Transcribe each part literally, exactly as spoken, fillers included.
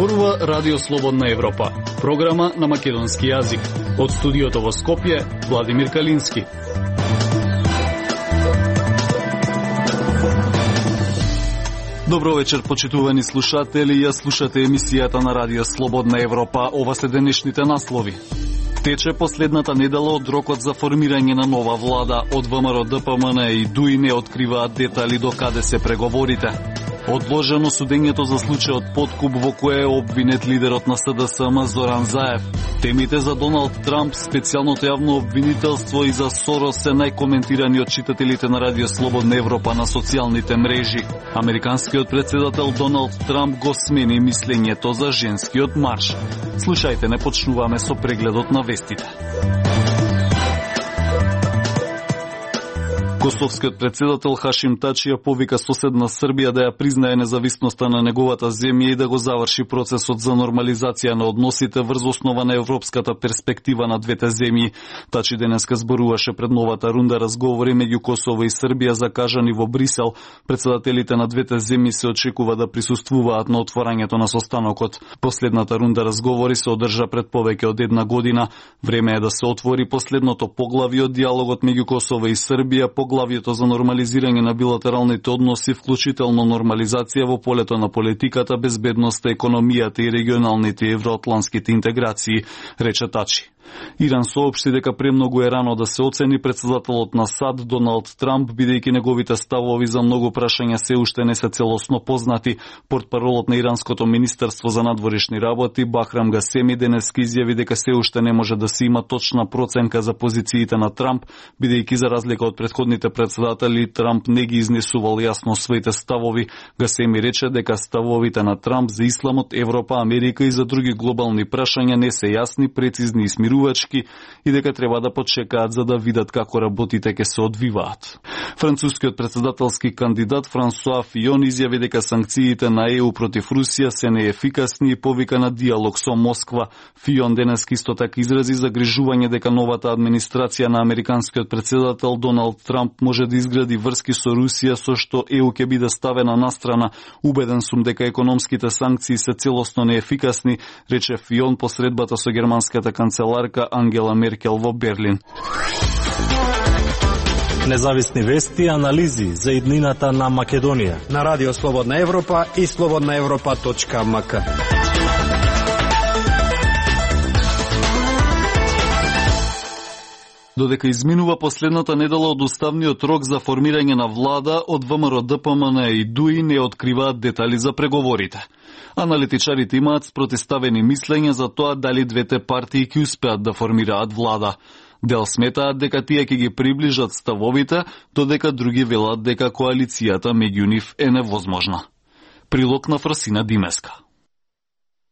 Зборува Радио Слободна Европа, програма на македонски јазик. Од студиото во Скопје, Владимир Калински. Добро вечер, почитувани слушатели. Ја слушате емисијата на Радио Слободна Европа. Ова се денешните наслови. Тече последната недела од рокот за формирање на нова влада. Од ВМРО, ДПМН и ДУИ не откриваат детали до каде се преговорите. Одложено судењето за случајот подкуп во кое е обвинет лидерот на СДСМ Зоран Заев. Темите за Доналд Трамп, специјалното јавно обвинителство и за Сорос се најкоментирани од читателите на Радио Слободна Европа на социјалните мрежи. Американскиот председател Доналд Трамп го смени мислењето за женскиот марш. Слушајте, не почнуваме со прегледот на вестите. Косовскиот председател Хашим Тачи ја повика соседна Србија да ја признае независноста на неговата земја и да го заврши процесот за нормализација на односите врз основа на европската перспектива на двете земји. Тачи денеска зборуваше пред новата рунда разговори меѓу Косово и Србија закажани во Брисел. Председателите на двете земји се очекува да присуствуваат на отворањето на состанокот. Последната рунда разговори се одржа пред повеќе од една година. Време е да се отвори последното поглавје од диалогот меѓу Косово и Србија, Поглавието за нормализирање на билатералните односи, вклучително нормализација во полето на политиката, безбедноста, економијата и регионалните евроатлантските интеграции, рече Тачи. Иран соопшти дека премногу е рано да се оцени председателот на САД Доналд Трамп, бидејќи неговите ставови за многу прашања се уште не се целосно познати. Портпаролот на Иранското министерство за надворешни работи Бахрам Гасеми денеска изјави дека се уште не може да се има точна проценка за позициите на Трамп, бидејќи за разлика од претходните председатели Трамп не ги изнесувал јасно своите ставови. Гасеми рече дека ставовите на Трамп за исламот, Европа, Америка и за други глобални прашања не се јасни, прецизни и смирувачки и дека треба да почекаат за да видат како работите ќе се одвиваат. Францускиот председателски кандидат Франсуа Фион изјави дека санкциите на Е У против Русија се неефикасни и повика на диалог со Москва. Фион денес исто така изрази загрижување дека новата администрација на американскиот председател Доналд Трамп може да изгради врски со Русија со што Е У ќе биде ставена настрана. Убеден сум дека економските санкции се целосно неефикасни, рече Фион по средбата со германската канцеларка Ангела Меркел во Берлин. Независни вести и анализи за иднината на Македонија на Радио Слободна Европа и слободна европа точка ем ка. Додека изминува последната недела од уставниот рок за формирање на влада, од ВМРО, ДПМН и ДУИ не откриваат детали за преговорите. Аналитичарите имаат спротиставени мислења за тоа дали двете партии ќе успеат да формираат влада. Дел сметаат дека тие ќе ги приближат ставовите, додека други велат дека коалицијата меѓу нив е невозможна. Прилог на Фрасина Димеска.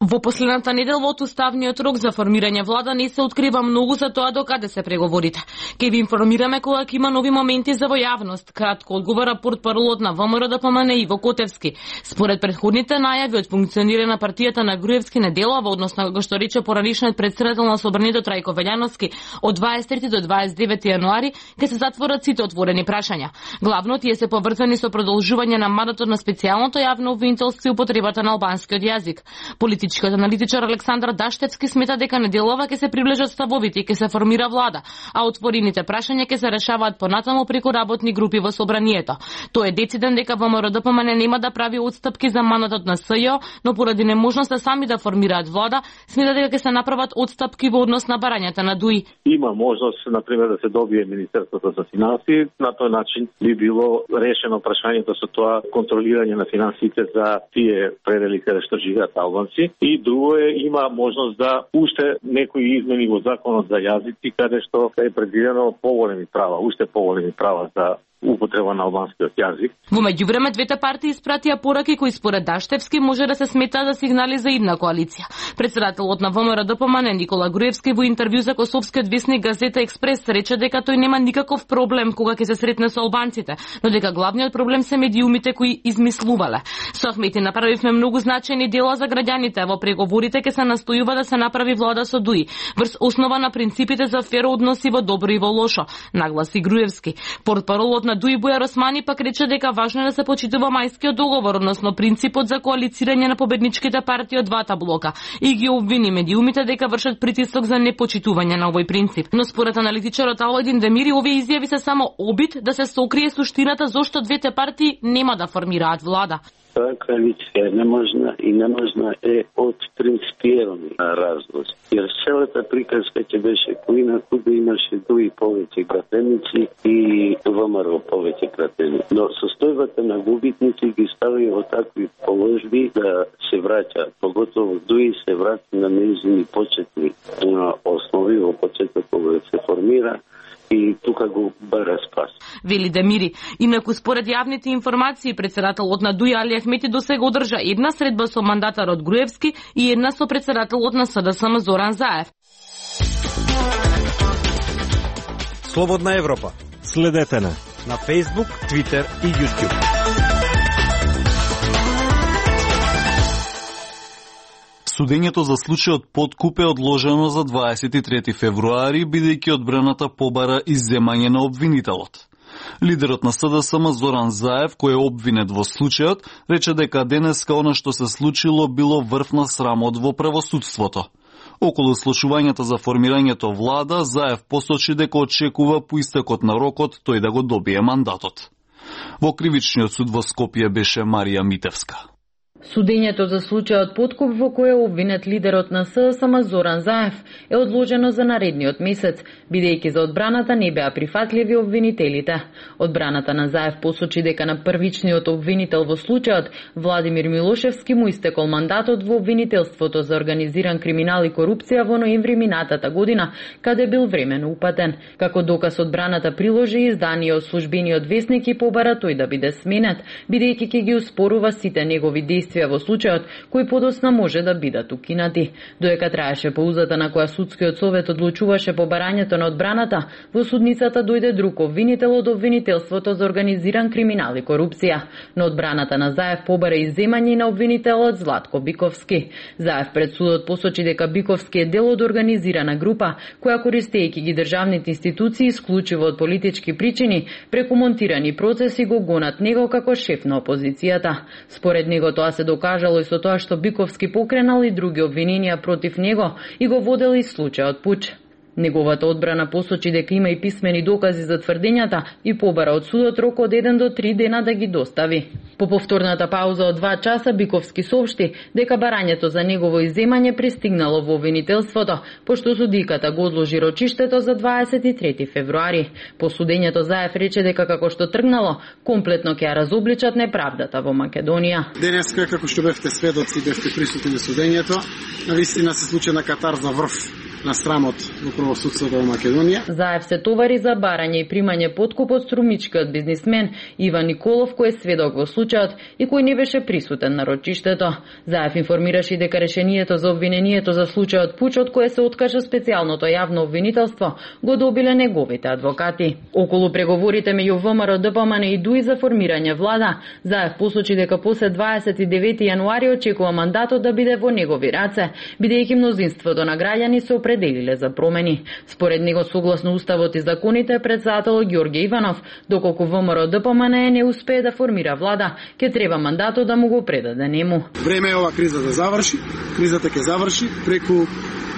Во последната недела од уставниот рок за формирање влада не се открива многу за тоа до каде се преговорите. Ке ви информираме кога ќе има нови моменти за во јавност, кратко одговора портпаролот на ВМРО, ДПМН Иво Котевски. Според претходните најави од функционирање на партијата на Груевски не делува, односно како што рече поранишниот председател на Собранието Трајко Велјановски, од дваесет трети до дваесет и девети јануари ќе се затворат сите отворени прашања. Главно тие се поврзани со продолжување на мандатот на специјалното јавно обвинителство и употребата на албанскиот јазик. Политичкиот аналитичар Александар Даштевски смета дека неделова ќе се приближат ставовите и ќе се формира влада, а отворените прашања ќе се решаваат понатаму преку работни групи во Собранието. Тој е дециден дека ВМРО, ДПМН нема да прави отстапки за мандатот на СЈО, но поради неможноста сами да формираат влада, смета дека ќе се направат отстапки во однос на барањата на ДУИ. Има можност, например, да се добие Министерството за финансии, на тој начин би било решено прашањето со тоа контролирање на финансите за тие предели каде што живеат албанци. И друго е, има можност да уште некои измени во законот за јазици, каде што е предвидено поголеми права, уште поголеми права за употреба на албанскиот јазик. Во меѓувреме двете партии испратија пораки кои според Даштевски може да се сметаат за сигнали за идна коалиција. Председателот на ВМРО, ДПМН Никола Груевски во интервју за Косовскиот весник Газета Експрес рече дека тој нема никаков проблем кога ќе се сретне со албанците, но дека главниот проблем се медиумите кои измислувале. Со Ахмети направивме многу значајни дела за граѓаните, во преговорите ќе се настојува да се направи влада со ДУИ, врз основа на принципите за фер односи во добро и во лошо, нагласи Груевски. Портпаролот на Дуи Бујар Османи пак рече дека важно е да се почитува мајскиот договор, односно принципот за коалицирање на победничките партии од двата блока и ги обвини медиумите дека вршат притисок за непочитување на овој принцип. Но според аналитичарот Алојдин Демири, овие изјави се само обид да се сокрие суштината зошто двете партии нема да формираат влада. Таа коалиција е неможна и неможна е од принципиелни разлози. Jer целата приказка ќе беше коина кога имаше Дуи повеќе кратеници и ВМРО повеќе кратеници. Но состојбата на губитници ги стави во такви положби да се враќа, поготово Дуи се врати на нејзини почетни основи во почеток кога се формира и тука го бара спас. Вели Демири. Инаку според јавните информации, председателот на Дуи Али Ахмети досега одржа една средба со мандатарот Груевски и една со председателот на СДСМ Зоран Заев. Слободна Европа. Следете на на Facebook, Twitter и YouTube. Судењето за случајот подкуп е одложено за дваесет и трети февруари, бидејќи одбраната побара изземање на обвинителот. Лидерот на СДСМ Зоран Заев, кој е обвинет во случајот, рече дека денеска она што се случило било врв на срамот во правосудството. Околу слушувањето за формирањето влада, Заев посочи дека очекува по истекот на рокот тој да го добие мандатот. Во кривичниот суд во Скопје беше Марија Митевска. Судењето за случајот подкуп во кој е обвинет лидерот на СДСМ Зоран Заев е одложено за наредниот месец, бидејќи за одбраната не беа прифатливи обвинителите. Одбраната на Заев посочи дека на првичниот обвинител во случајот, Владимир Милошевски, му истекол мандатот во обвинителството за организиран криминал и корупција во ноември минатата година, каде бил времено упатен. Како доказ одбраната приложи издание од службениот весник и побара тој да биде сменет, бидејќи ќе ги успорува сите негови действија во случајот, кои подосна може да бидат укинати. Доека траеше паузата на која судскиот совет одлучуваше побарањето на одбраната, во судницата дојде друг обвинител од обвинителството за организиран криминал и корупција. Но одбраната на Заев побара изземање на обвинителот Златко Биковски. Заев пред судот посочи дека Биковски е дел од организирана група, која користејќи ги државните институции исклучиво од политички причини, преку монтирани процеси го гонат него како шеф на опозицијата. Според него тоа се докажало и со тоа што Биковски покренал и други обвиненија против него и го водел и случајот пуч. Неговата одбрана посочи дека има и писмени докази за тврдењата и побара од судот рок од еден до три дена да ги достави. По повторната пауза од два часа Биковски соопшти дека барањето за негово изземање пристигнало во обвинителството, пошто судиката го одложи рочиштето за дваесет и трети февруари. По судењето Заев рече дека како што тргнало, комплетно ќе ја разобличат неправдата во Македонија. Денеска, како што бевте сведоци, бевте присутни на судењето, навистина се случи на катарза врв на срамот во правосудството во Македонија. Заев се товари за барање и примање подкуп од струмичкиот бизнисмен Иван Николов, кој е сведок во случајот и кој не беше присутен на рочиштето. Заев информираше дека решението за обвинението за случајот пуч, од кое се откажа специјалното јавно обвинителство, го добиле неговите адвокати. Околу преговорите меѓу ВМРО, ДПМН и Дуи за формирање влада, Заев посочи дека после дваесет и девети јануари очекува мандатот да биде во негови раце, бидејќи мнозинството на граѓани се определиле за промени. Според него, согласно уставот и законите, председателот Ѓорѓе Иванов, доколку ВМРО ДПМН не успее да формира влада, ќе треба мандатот да му го предаде нему. Време е ова криза да заврши. Кризата ќе заврши преку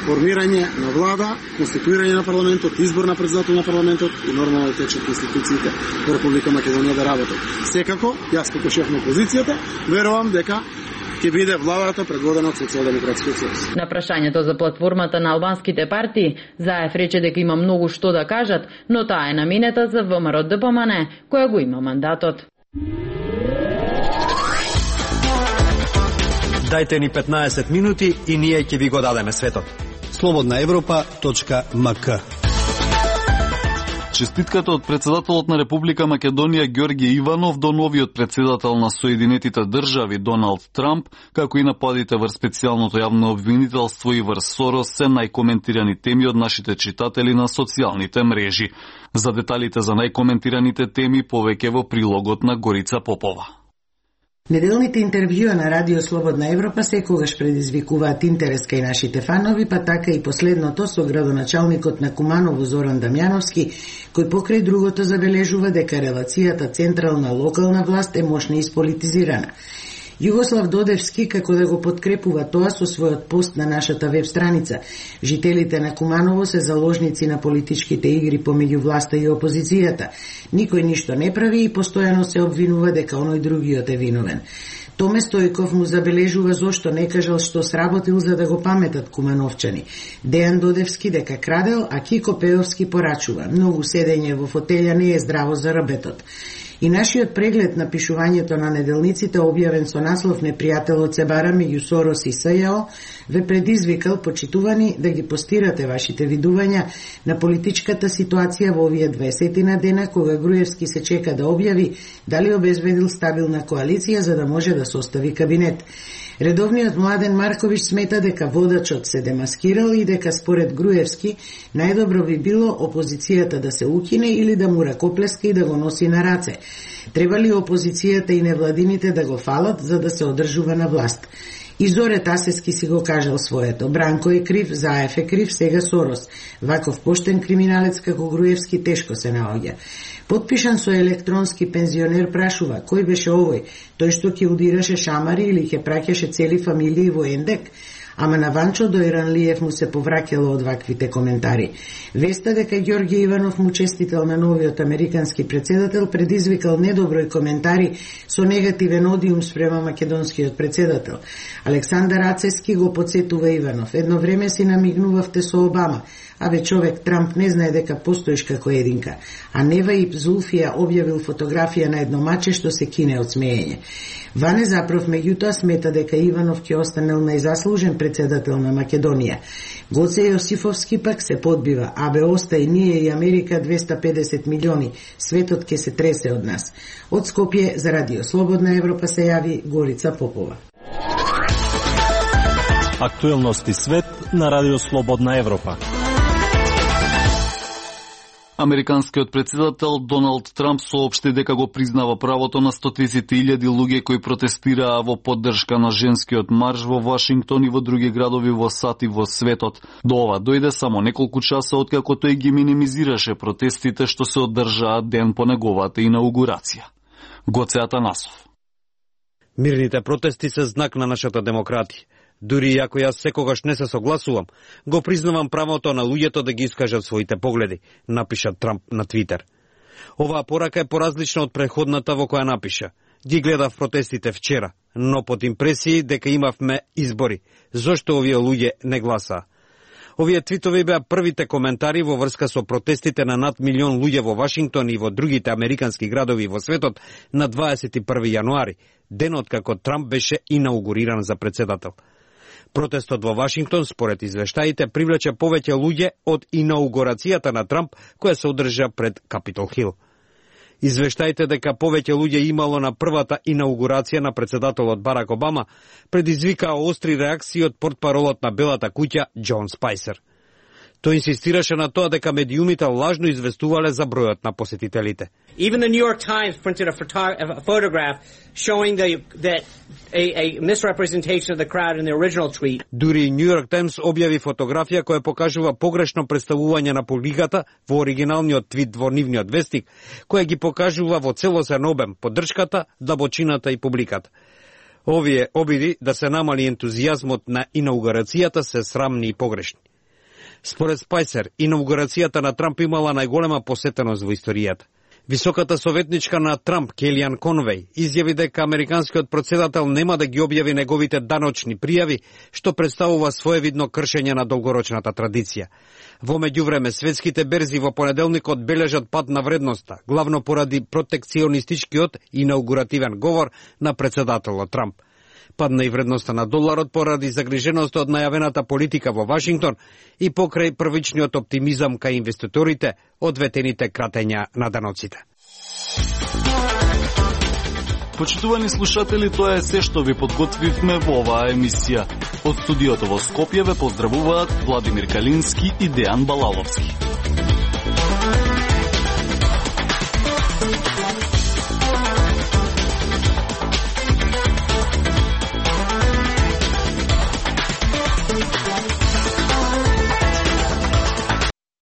формирање на влада, конституирање на парламентот, избор на председател на парламентот и нормално да течат институциите во Република Македонија да работат. Секако, јас како шеф на опозицијата, верувам дека ќе биде владата предводена од Социјалдемократскиот сојуз. На прашањето за платформата на албанските партии, Заев рече дека има многу што да кажат, но таа е наменета за ВМРО ДПМН, која го има мандатот. Дајте ни петнаесет минути и ние ќе ви го дадеме светот. слободна европа точка ем ка. Честитката од председателот на Република Македонија Ѓорѓе Иванов до новиот председател на Соединетите држави Доналд Трамп, како и нападите врз специјалното јавно обвинителство и врз Сорос се најкоментирани теми од нашите читатели на социјалните мрежи. За деталите за најкоментираните теми повеќе во прилогот на Горица Попова. Неделните интервјуа на Радио Слободна Европа секогаш предизвикуваат интерес кај нашите фанови, па така и последното со градоначалникот на Куманово Зоран Дамјановски, кој покрај другото забележува дека релацијата централна-локална власт е мощно исполитизирана. Југослав Додевски како да го подкрепува тоа со својот пост на нашата веб страница. Жителите на Куманово се заложници на политичките игри помеѓу власта и опозицијата. Никој ништо не прави и постојано се обвинува дека оној другиот е виновен. Томе Стојков му забележува зошто не кажал што сработил за да го паметат кумановчани. Дејан Додевски дека крадел, а Кико Пеовски порачува. Многу седење во фотелја не е здраво за рабетот. И нашиот преглед на пишувањето на неделниците, објавен со наслов Непријателот се бара меѓу Сорос и СЈО, ве предизвикал, почитувани, да ги постирате вашите видувања на политичката ситуација во овие дваесетина дена, кога Груевски се чека да објави дали обезбедил стабилна коалиција за да може да состави кабинет. Редовниот Младен Марковиќ смета дека водачот се демаскирал и дека според Груевски најдобро би било опозицијата да се укине или да му ракоплеска и да го носи на раце. Треба ли опозицијата и невладините да го фалат за да се одржува на власт? И Зоре Тасески си го кажал своето. Бранко е крив, Заев е крив, сега Сорос. Ваков поштен криминалец како Груевски тешко се наоѓа. Потпишан со електронски пензионер прашува, кој беше овој? Тој што ќе удираше шамари или ќе праќаше цели фамилии во Ендек? Ама на Ванчо Дојранлиев му се повраќало од ваквите коментари. Веста дека Ѓорѓе Иванов му честител на новиот американски председател предизвикал недоброј коментари со негативен одиум спрема македонскиот председател. Александар Ацески го подсетува Иванов. Едно време си намигнувавте со Обама, абе човек Трамп не знае дека постоиш како единка. А Нева и Зулфија објавил фотографија на едно маче што се кине од смеење. Ване Запров меѓутоа смета дека Иванов ќе останел најзаслужен председател на Македонија. Гоце Јосифовски пак се подбива, абе остај ние и Америка двеста и педесет милиони, светот ќе се тресе од нас. Од Скопје за Радио Слободна Европа се јави Горица Попова. Актуелности свет на Радио Слободна Европа. Американскиот председател Доналд Трамп соопшти дека го признава правото на стотиците илјади луѓе кои протестираа во поддршка на женскиот марш во Вашингтон и во други градови во САД и во светот. До ова дојде само неколку часа откако тој ги минимизираше протестите што се одржаа ден по неговата инаугурација. Гоце Атанасов. Мирните протести се знак на нашата демократија. Дури ако јас секогаш не се согласувам, го признавам правото на луѓето да ги искажат своите погледи, напиша Трамп на Твитер. Оваа порака е поразлична од преходната во која напиша. Ги гледав протестите вчера, но под импресии дека имавме избори. Зошто овие луѓе не гласаа? Овие твитови беа првите коментари во врска со протестите на над милион луѓе во Вашингтон и во другите американски градови во светот на дваесет и први јануари, денот како Трамп беше инаугуриран за председател. Протестот во Вашингтон, според извештаите, привлече повеќе луѓе од инаугурацијата на Трамп, која се одржа пред Капитол Хил. Извештаите дека повеќе луѓе имало на првата инаугурација на председателот Барак Обама предизвикаа остри реакции од портпаролот на Белата куќа Џон Спајсер. Тој инсистираше на тоа дека медиумите лажно известувале за бројот на посетителите. Even the New York Times printed a, photo- a photograph showing the, that a, a misrepresentation of the crowd in the original tweet. Дури New York Times објави фотографија која покажува погрешно представување на публиката во оригиналниот твит во нивниот вестник, која ги покажува во целосен обем поддршката, длабочината и публиката. Овие обиди да се намали ентузијазмот на инаугурацијата се срамни и погрешни. Според Спајсер, инаугурацијата на Трамп имала најголема посетеност во историјата. Високата советничка на Трамп, Келијан Конвеј, изјави дека американскиот претседател нема да ги објави неговите даночни пријави, што представува своевидно кршење на долгорочната традиција. Во меѓувреме, светските берзи во понеделникот бележат пад на вредноста, главно поради протекционистичкиот инаугуративен говор на претседателот Трамп. Падна и вредноста на доларот поради загриженост од најавената политика во Вашингтон и покрај првичниот оптимизам кај инвеститорите од ветените кратења на даноците. Почитувани слушатели, тоа е се што ви подготвивме во оваа емисија. Од студиото во Скопје ве поздравуваат Владимир Калински и Дејан Балаловски.